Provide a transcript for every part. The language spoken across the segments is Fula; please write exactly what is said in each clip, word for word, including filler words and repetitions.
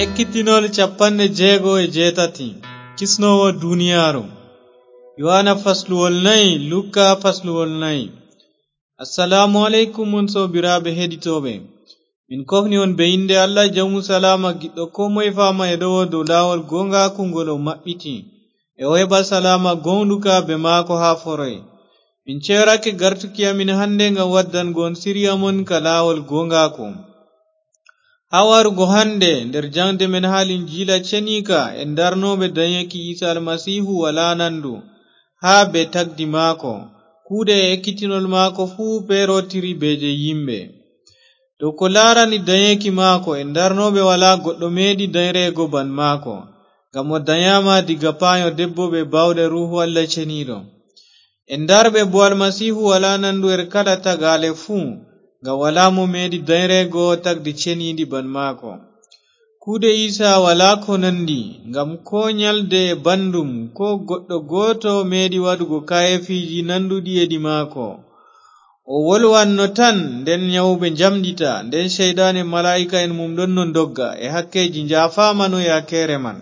Ekkitinol capanɗe jeego e jeetati. Kisnoowo duniyaaru. Yohana fasluwol nayi, Luka fasluwol nayi. Assalaamu aleykum, on soobiraaɓe heɗitooɓe. Min kofni on be innde Allah, Jawmu salaama, giɗɗo koo moye faama e ɗowo dow laawol gooŋgaaku ngol o maɓɓiti, e o heɓa salaama gooŋɗuka be maako haa foroy. Min ceyorake gartuki amin hande ngam waddango on siriya mon ka laawol gooŋgaaku. Haa warugo hande nder jaŋde men haa Linjiila Ceniika, en darnooɓe danyeki Iisa Almasiihu walaa nandu, haa be tagdi maako. Kuuɗe e ekkitinol maako fuu peerotiri be jey yimɓe. Dow ko laarani danyeki maako, en darnooɓe walaa goɗɗo meeɗi danyreego ban maako, ngam o danyaama diga paanyo debbo be baawɗe Ruuhu Allah Ceniiɗo. En darɓe bo Almasiihu walaa nandu her kala tagaale fuu, ngam walaa mo meeɗi danyreego tagdi ceniiɗi ban maako. Kuuɗe Iisa walaa ko nandi, ngam koo nyalde e banndum, koo goɗɗo gooto meeɗi waɗugo kaayeefiiji nanduɗi e ɗi maako. O wolwanno tan, nden nyawɓe njamɗita, nden Ceyɗaan e malaa'ika'en mum ɗonno ndogga, e hakkeeji njaafaama no yaakeere man.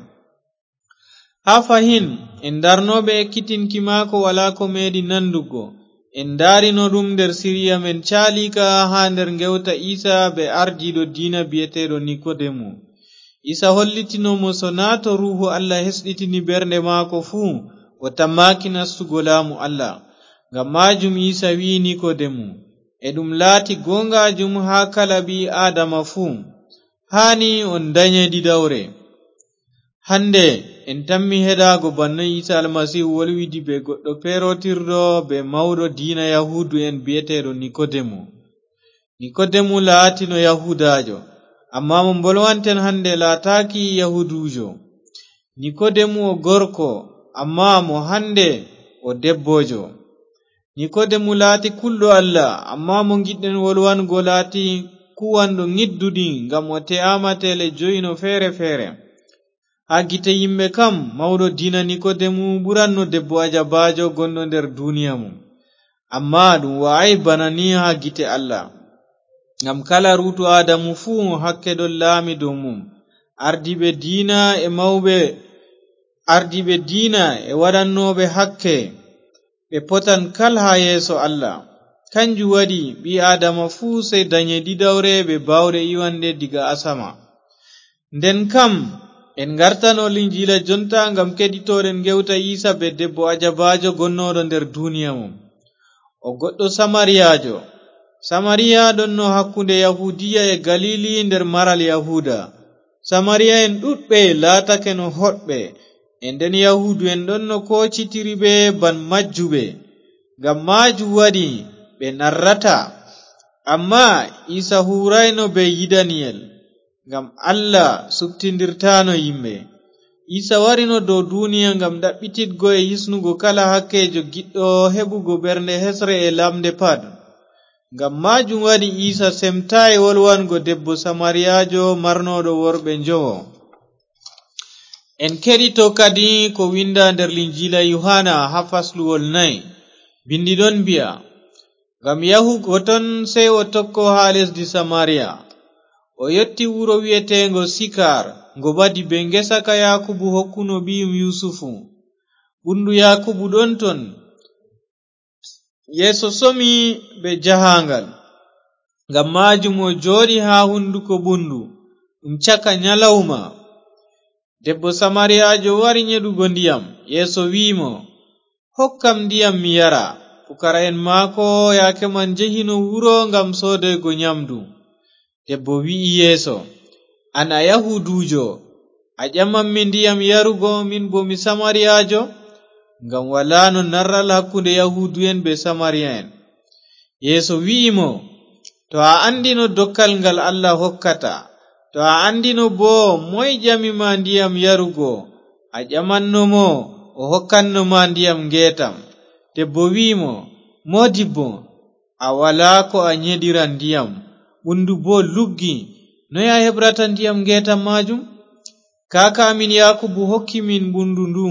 Haa fahin, en darnooɓe ekkitinki maako walaa ko meeɗi nandugo. En ndaarino ɗum nder siriya men caaliika haa nder ngewta Iisa be ardiiɗo diina bi'eteeɗo Nikodemu. Iisa hollitino mo so naa to Ruuhu Allah hesɗitini ɓernde maako fuu, o tammaaki nastugo laamu Allah. Ngam maajum Iisa wi'i Nikodemu, "E ɗum laati gooŋgaajum haa kala ɓii Aadama fuu. Haani on danye ɗiɗawre." Hande, en tammi heɗaago banno Iisa Almasiihu wolwidi be goɗɗo peerotirɗo be mawɗo diina Yahuudu'en bi'eteeɗo Nikodemu. Nikodemu laatino Yahuudaajo, ammaa mo mbolwanten hande laataaki Yahuuduujo. Nikodemu o gorko, ammaa mo hande o debbojo. Nikodemu laati kulɗo Allah, ammaa mo ngiɗɗen wolwango laati kuwanɗo ngidduɗi, ngam o te'aama tele joyino feere-feere. Haa gite yimɓe kam, mawɗo diina Nikodemu ɓuranno debbo ajabaajo gonɗo nder duniya mum. Ammaa ɗum wa'ay bana ni haa gite Allah. Ngam kala ruutu Aadamu fuu hakke ɗon laami dow mum. Ardiiɓe diina e mawɓe, ardiiɓe diina e waɗannooɓe hakke, ɓe potan kal haa yeeso Allah. Kanjum waɗi ɓii Aadama fuu sey danye ɗiɗawre be baawɗe iwanɗe diga asama. Nden kam, en ngartano Linjiila jonta ngam keɗitoɗen ngewta Iisa be debbo ajabaajo gonnooɗo nder duniya mum. O goɗɗo Samariyaajo. Samariya ɗonno hakkunde Yahuudiya e Galili nder maral Yahuuda. Samariya'en ɗuɗɓe laatakeno hoɗɓe, e nden Yahuudu'en ɗonno koocitiri ɓe ban majjuɓe. Ngam maajum waɗi ɓe narrata. Ammaa Iisa huurayno be yidaniyel, ngam Allah suɓtindirtaano yimɓe. Iisa warino dow duniya ngam ɗaɓɓititgo e hisnugo kala hakkeejo giɗɗo heɓugo ɓernde hesre e lamnde pat. Ngam maajum waɗi Iisa semtaay wolwango debbo Samariyaajo marnooɗo worɓe njowo. En keɗito kadi ko winda nder Linjiila Yohana haa fasluwol nayi. Bindi ɗon mbi'a, "Ngam yahugo ton sey o tokko haa lesdi Samariya." O yotti wuro wi'eteengo Sikar, ngo ɓadi bee ngesa ka Yaakubu hokkuno ɓiyum Yusufu. Ɓundu Yaakubu ɗon ton. Yeeso somi ɓe jahaaŋgal. Ngam maajum o jooɗi haa hunduko ɓundu, ɗum caka nyalawma. Debbo Samariyaajo wari nyeɗugo ndiyam. Yeeso wi'i mo, "Hokkam ndiyam mi yara." Pukara'en maako yaake man njehino wuro ngam soodoygo nyamdu. Debbo wi'i Yeeso, "An a Yahuuduujo, a ƴamammi ndiyam yarugo, min boo mi Samariyaajo?" Ngam walaano narral hakkunde Yahuudu'en bee Samariya'en. Yeeso wi'i mo, "To a anndino dokkal ngal Allah hokkata, to a anndino boo moy ƴami ma ndiyam yarugo, a ƴamanno mo, o hokkanno ma ndiyam ngeetam." Debbo wi'i mo, "Moodibbo, a walaa ko a nyeɗira ndiyam, ɓundu boo luggi, noy a heɓrata ndiyam ngeetam maajum? Kaaka amin Yaakubu hokki min ɓundu ndu,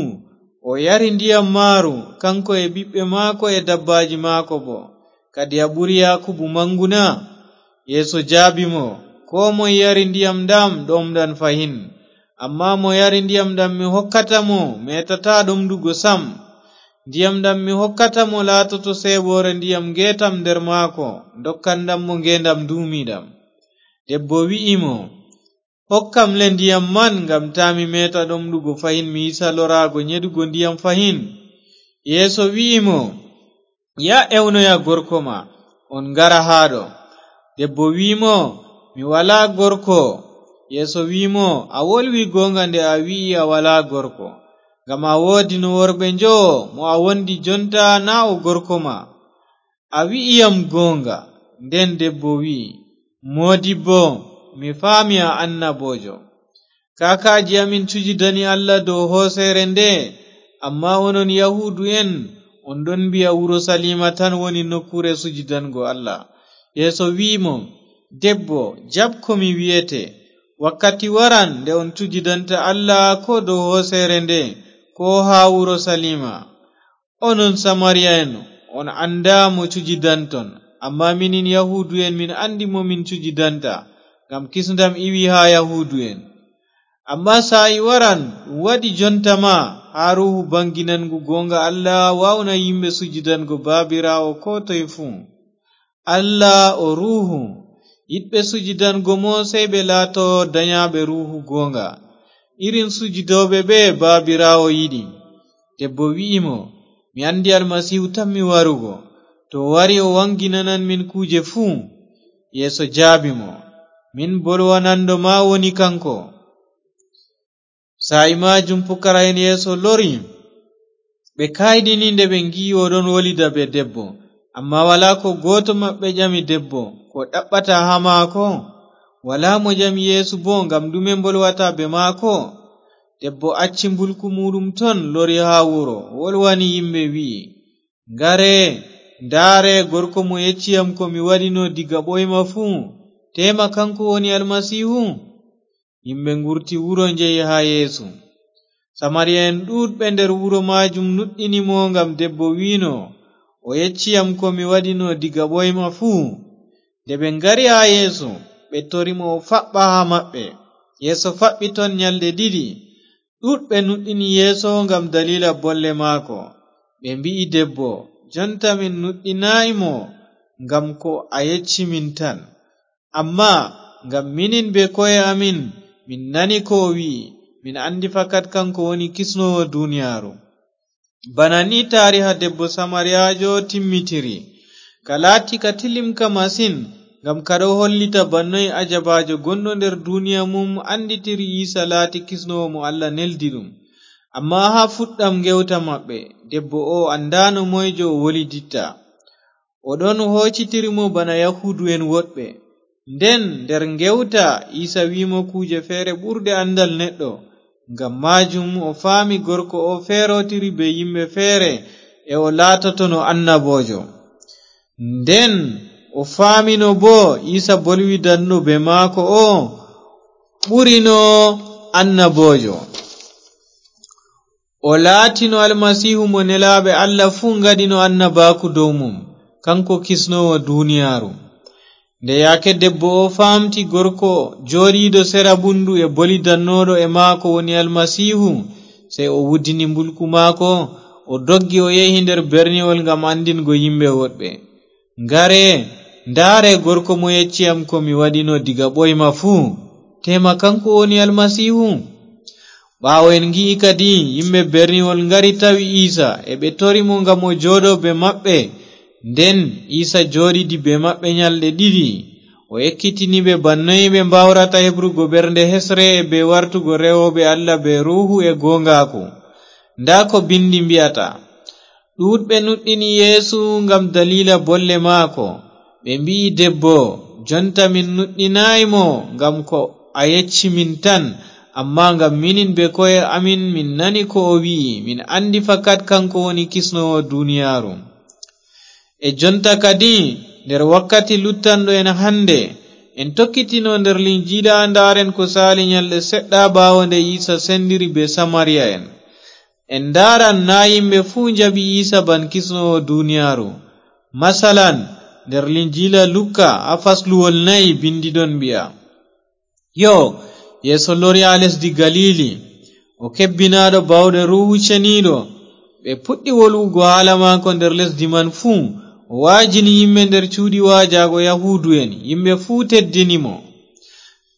o yari ndiyam maaru, kanko e ɓiɓɓe maako e dabbaaji maako boo. Kadi a ɓuri Yaakubu maŋgu na?" Yeesu jaabi mo, "Koo moy yari ndiyam ɗam ɗomɗan fahin. Ammaa mo yari ndiyam ɗam mi hokkata mo, meetataa ɗomɗugo sam. Ndiyam ɗam mi hokkata mo laatoto seeɓoore ndiyam ngeetam nder maako, ndokkanɗam mo ngeendam nduumiiɗam. Debbo wi'i mo, "Hokkam le ndiyam man, ngam taa mi meeta ɗomɗugo fahin, mi hisa loraago nyeɗugo ndiyam fahin." Yeesu wi'i mo, "Ya ewnoya gorko ma, on ngara haa ɗo." Debbo wi'i mo, "Mi walaa gorko." Yeesu wi'i mo, "A wolwi goonga nde a wi'i a walaa gorko, ngam a woodino worɓe njowo, mo a wondi jonta naa o gorko ma. A wi'i yam goonga." Nden debbo wi'i, "Moodibbo, mi faami a annaboojo. Kaakaaji amin cujidani Allah dow hooseere nde, ammaa onon Yahuudu'en on ɗon mbi'a Urusaliima tan woni nokkuure sujidango Allah." Yeesu wi'i mo, "Debbo, jaɓ ko mi wi'ete. Wakkati waran nde on cujidanta Allah koo dow hooseere nde, koo haa Urusaliima. Onon Samariya en, on anndaa mo cujidanton, ammaa minin Yahuudu'en min anndi mo min cujidanta, ngam kisndam iwi haa Yahuudu'en. Ammaa saa'i waran, ɗum waɗi jonta ma, haa Ruuhu bannginangu goonga Allah waawna yimɓe sujidango Baabiraawo koo toy fuu. Allah o Ruuhu, yiɗɓe sujidango mo sey ɓe laato danyaaɓe Ruuhu goonga, irin sujidooɓe ɓe Baabiraawo yiɗi." Debbo wi'i mo, "Mi anndi Almasiihu tammi warugo. To o wari, o waŋginanan min kuuje fuu." Yeesu jaabi mo, "Min bolwananɗo ma woni kaŋko." Saa'i maajum pukara'en Yeesu lori, ɓe kayɗini nde ɓe ngi'i o ɗon wolida bee debbo. Ammaa walaa ko gooto maɓɓe ƴami debbo ko ɗaɓɓata haa maako. Walaa mo ƴami Yeesu boo ngam ɗume mbolwata bee maako. Debbo acci mbulku muuɗum ton, lori haa wuro, wolwani yimɓe, wi'i, "Ngare, ndaare gorko mo yecci yam ko mi waɗino diga ɓooyma fuu. Teema kaŋko woni Almasiihu?" Yimɓe ngurti wuro, njehi haa Yeesu. Samariya en ɗuuɗɓe nder wuro maajum nuɗɗini mo ngam debbo wi'no, "O yecci yam ko mi waɗino diga ɓooyma fuu." Nde ɓe ngari haa Yeesu, ɓe tori mo o faɓɓa haa maɓɓe. Yeesu faɓɓi ton nyalɗe ɗiɗi. Ɗuuɗɓe nuɗɗini Yeesu ngam daliila bolle maako. Ɓe mbi'i debbo, "Jonta min nuɗɗinaay mo ngam ko a yecci min tan. Ammaa ngam minin bee ko'e amin, min nani ko o wi'i, min anndi fakat kaŋko woni kisnoowo duniyaaru." Bana ni taariha debbo Samariyaajo timmitiri. Ka laati ka tilimka masin, ngam ka ɗo hollita bannoy ajabaajo gonɗo nder duniya mum annditiri Iisa laati kisnoowo mo Allah neldi ɗum. Ammaa haa fuɗɗam ngewta maɓɓe, debbo oo anndaano moyjo o woliditta. O ɗon hoocitiri mo bana Yahuudu'en woɗɓe. Nden nder ngewta, Iisa wi'i mo kuuje feere ɓurɗe anndal neɗɗo. Ngam maajum o faami gorko oo feerootiri bee yimɓe feere, e o laatotono annaboojo. Nden o faamino boo Iisa bolwidanɗo bee maako oo ɓurino annaboojo. O laatino Almasiihu mo nelaaɓe Allah fuu ngaɗino annabaaku dow mum, kaŋko kisnoowo duniyaaru. Nde yaake debbo oo faamti gorko jooɗiiɗo sera ɓunndu e bolidannooɗo e maako woni Almasiihu, sey o wuddini mbulku maako, o doggi, o yehi nder berniwol ngam anndingo yimɓe woɗɓe, "Ngare, ndaare gorko mo yecci am ko mi waɗino diga ɓooyma fuu. Teema kaŋko woni Almasiihu?" Ɓaawo en ngi'i kadi yimɓe berniwol ngari tawi Iisa, e ɓe tori mo ngam o jooɗo bee maɓɓe. Nden Iisa jooɗidi bee maɓɓe nyalɗe ɗiɗi. O ekkitini ɓe bannoy ɓe mbaawrata heɓrugo ɓernde hesre e bee wartugo rewooɓe Allah bee Ruuhu e gooŋgaaku. Ndaa ko Binndi mbi'ata, "Ɗuuɗɓe nuɗɗini Yeesu ngam daliila bolle maako. Ɓe mbi'i debbo, 'Jonta min nuɗɗinaay mo ngam ko a yecci min tan, ammaa ngam minin bee ko'e amin min nani ko o wi'i, min anndi fakat kaŋko woni kisnoowo duniyaaru.'" E jonta kadi, nder wakkati luttanɗo en hannde, en tokkitino nder Linjiila, ndaaren ko saali nyalɗe seɗɗa ɓaawo nde Iisa sendiri bee Samariya'en. En ndaaran naa yimɓe fuu njaɓi Iisa ban kisnoowo duniyaaru. Masalan, nder Linjiila Lukka, haa fasluwol nayi, bindi ɗon mbi'a, "Yo, Yeeso lori haa lesdi Galiili, o kebbinaaɗo baawɗe Ruuhu Ceniiɗo. Ɓe puɗɗi wolwugo haala maako nder lesdi man fuu. O waajini yimɓe nder cuuɗi waajaago Yahuudu'en, yimɓe fuu teddini mo.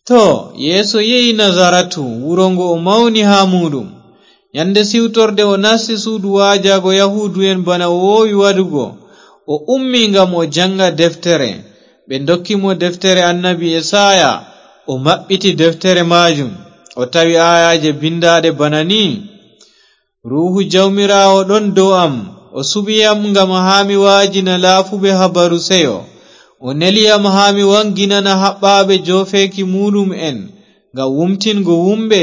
Too, Yeesu yehi Nazaratu, wuro ngo o mawni haa muuɗum. Nyande siwtorde o nasti suudu waajaago Yahuudu'en bana o woowi waɗugo. O ummi ngam o jaŋga deftere. Ɓe ndokki mo deftere annabi Esaaya. O maɓɓiti deftere maajum. O tawi aayaaje bindaaɗe bana nii: "Ruuhu Jawmiraawo ɗon dow am, o suɓi yam ngam haa mi waajina laafuɓe habaru seyo. O neli yam haa mi waŋginana haɓɓaaɓe joofeeki muuɗum'en, ngam wumtingo wumɓe,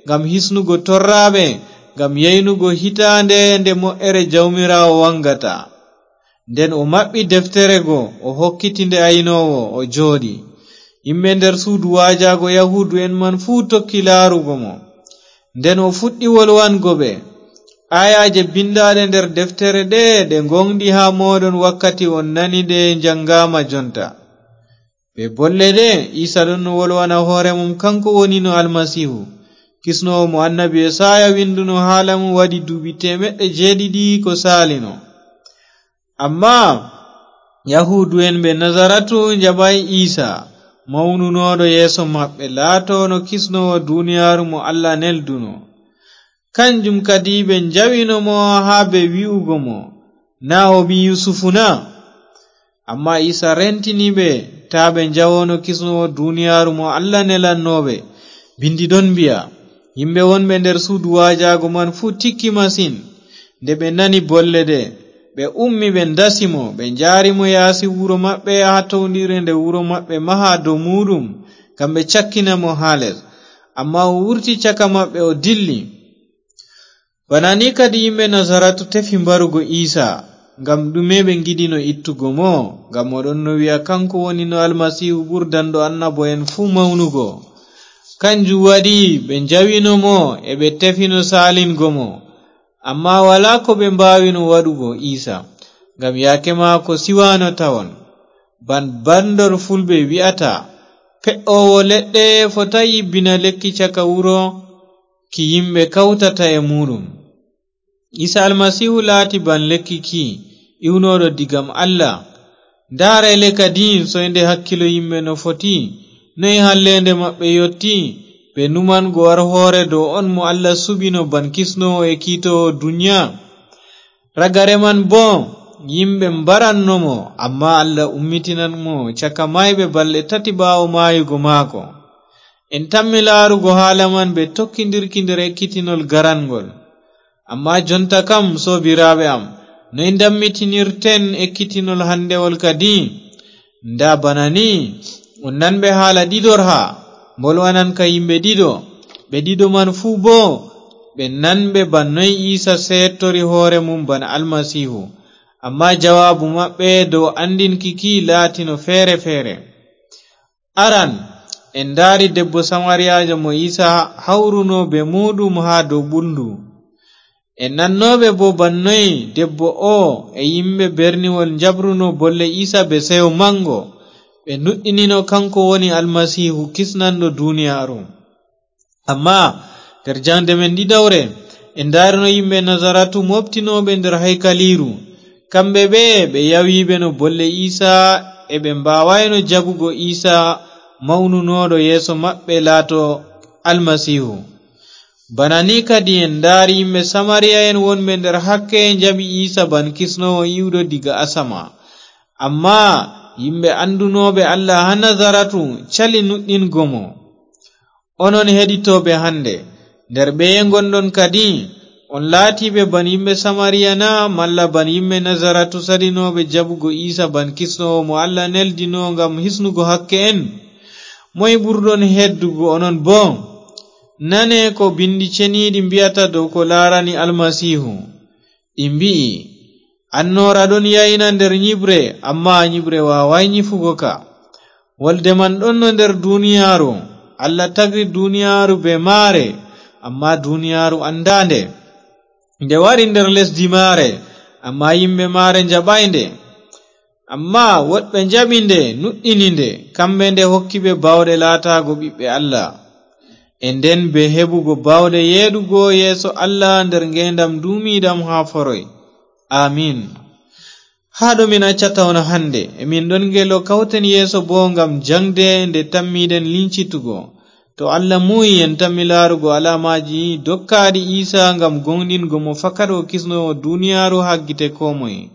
ngam hisnugo torraaɓe, ngam yaynugo hitaande nde mo'ere Jawmiraawo waŋgata." Nden o maɓɓi deftere go, o hokkiti nde aynoowo, o jooɗi. Yimɓe nder suudu waajaago Yahuudu'en man fuu tokki laarugo mo. Nden o fuɗɗi wolwango ɓe: "Aayaaje bindaaɗe nder deftere ɗe, ɗe ngooŋɗi haa mooɗon wakkati on nani ɗe njaŋgaama jonta." Bee bolle ɗe, Iisa ɗon no wolwana hoore mum, kaŋko woni no Almasiihu, kisnoowo mo annabi Esaaya winduno haala mum waɗi duuɓi teemeɗɗe jeeɗiɗi ko saalino. Ammaa Yahuudu'en ɓe Nazaratu njaɓaay Iisa, mawnunooɗo yeeso maɓɓe, laatoono kisnoowo duniyaaru mo Allah nelduno. Kanjum kadi ɓe njawino mo haa ɓe wi'ugo mo, "Naa o ɓii Yusufu na?" Ammaa Iisa rentini ɓe, taa ɓe njawono kisnoowo duniyaaru mo Allah nelanno ɓe. Bindi ɗon mbi'a, "Yimɓe wonɓe nder suudu waajaago man fuu tikki masin." Nde ɓe nani bolle ɗe, ɓe ummi, ɓe ndasi mo, ɓe njaari mo yaasi wuro maɓɓe haa towndiire nde wuro maɓɓe maha dow muuɗum, ngam ɓe cakkina mo haa les. Ammaa o wurti caka maɓɓe, o dilli. Bana ni kadi yimɓe Nazaratu tefi mbarugo Iisa. Ngam ɗume ɓe ngiɗino ittugo mo? Ngam o ɗon no wi'a kaŋko woni no Almasiihu ɓurdanɗo annabo'en fuu mawnugo. Kanjum waɗi ɓe njawino mo e ɓe tefino saalingo mo. Ammaa walaa ko ɓe mbaawino waɗugo Iisa, ngam yaake maako siwaano tawon. Ban bandor Fulɓe wi'ata, "Pe'oowo leɗɗe fotaay yibbina lekki caka wuro ki yimɓe kawtata e muuɗum." Iisa Almasiihu laati ban lekki ki, iwnooɗo digam Allah. Ndaare le kadi soynde hakkilo yimɓe no foti, noy halleende maɓɓe yotti, ɓe numango war hoore dow on mo Allah suɓino ban kisnoowo e kiitoowo duniya. Ragare man boo, yimɓe mbaranno mo, ammaa Allah ummitinan mo caka maayɓe balɗe tati ɓaawo maayugo maako. En tammi laarugo haala man bee tokkindirki nder ekkitinol garanŋgol. Ammaa jonta kam, soobiraaɓe am, noy ndammitinirten ekkitinol handewol kadi? Ndaa bana ni, on nanɓe haala ɗiɗorha, mbolwanan ka yimɓe ɗiɗo. Ɓe ɗiɗo man fuu boo, ɓe nanɓe ban noy Iisa seettori hoore mum bana Almasiihu. Ammaa jawaabu maɓɓe dow anndinki ki laatino feere-feere. Aran, en ndaari debbo Samariyaajo mo Iisa hawruno bee muuɗum haa dow ɓulndu. En nannooɓe boo ban noy debbo oo e yimɓe berniwol njaɓruno bolle Iisa bee seyo maŋgo. Ɓe nuɗɗinino kaŋko woni Almasiihu, kisnanɗo duniyaaru. Ammaa nder jaŋde men ɗiɗawre, en ndaarino yimɓe Nazaratu mooɓtinooɓe nder haykaliiru. Kamɓe ɓe, ɓe yawiiɓe no bolle Iisa, e ɓe mbaawaayno jaɓugo Iisa mawnunooɗo yeeso maɓɓe laato Almasiihu. Bana ni kadi en ndaari yimɓe Samariya'en wonɓe nder hakke njaɓi Iisa ban kisnoowo iwɗo diga asama. Ammaa yimɓe anndunooɓe Allah haa Nazaratu cali nuɗɗingo mo. Onon heɗitooɓe hannde, nder ɓeye ngonɗon kadi? On laatiiɓe ban yimɓe Samariya na, malla ban yimɓe Nazaratu saɗinooɓe jaɓugo Iisa ban kisnoowo mo Allah neldino ngam hisnugo hakke'en? Moy ɓurɗon heeddugo onon boo? Nane ko Binndi Ceniiɗi mbi'ata dow ko laarani Almasiihu. Ɗi mbi'i, "Annoora ɗon yayna nder nyiɓre, ammaa nyiɓre waawaay nyifugo ka. Wolde man ɗonno nder duniyaaru. Allah tagri duniyaaru bee maare, ammaa duniyaaru anndaa nde. Nde wari nder lesdi maare, ammaa yimɓe maare njaɓaay nde. Ammaa woɗɓe njaɓi nde, nuɗɗini nde, kamɓe nde hokki ɓe baawɗe laataago ɓiɓɓe Allah." E nden be heɓugo bawɗe yeeɗugo yeeso Allah nder ngeendam nduumiiɗam haa foroy. Amin. Haa ɗo min accata on hannde, e min ɗon ngelo kawten yeeso boo ngam jaŋde nde tammiiɗen lincitugo. To Allah muuyi en tammi laarugo alaamaaji dokkaaɗi Iisa ngam gooŋɗingo mo fakat o kisnoowo duniyaaru haa gite koo moye.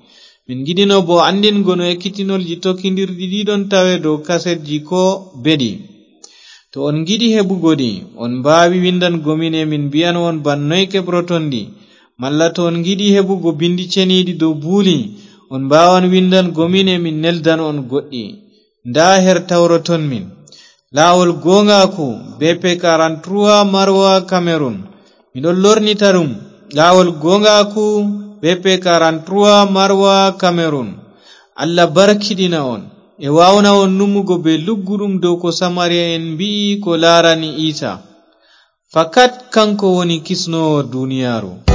Min ngiɗino boo anndingo no ekkitinolji tokkindirɗi ɗi ɗon tawe dow kasetji koo beɗi. To on ngiɗi heɓugo ɗi, on mbaawi winndango min e min mbi'an on ban noy keɓroton ɗi. Malla to on ngiɗi heɓugo binndi ceniiɗi dow buuli, on mbaawan winndango min e min neldan on goɗɗi. Ndaa her tawroton min. Laawol gooŋgaaku, B P quarante-trois Maroua Cameroun. Miɗon lornita ɗum. Laawol gooŋgaaku, B P quarante-trois Maroua Cameroun. Allah barkiɗina on. E waawna on numugo bee lugguɗum dow ko Samariya en mbi'i ko laarani Iisa. Fakat kanko woni kisnoowo duniyaaru.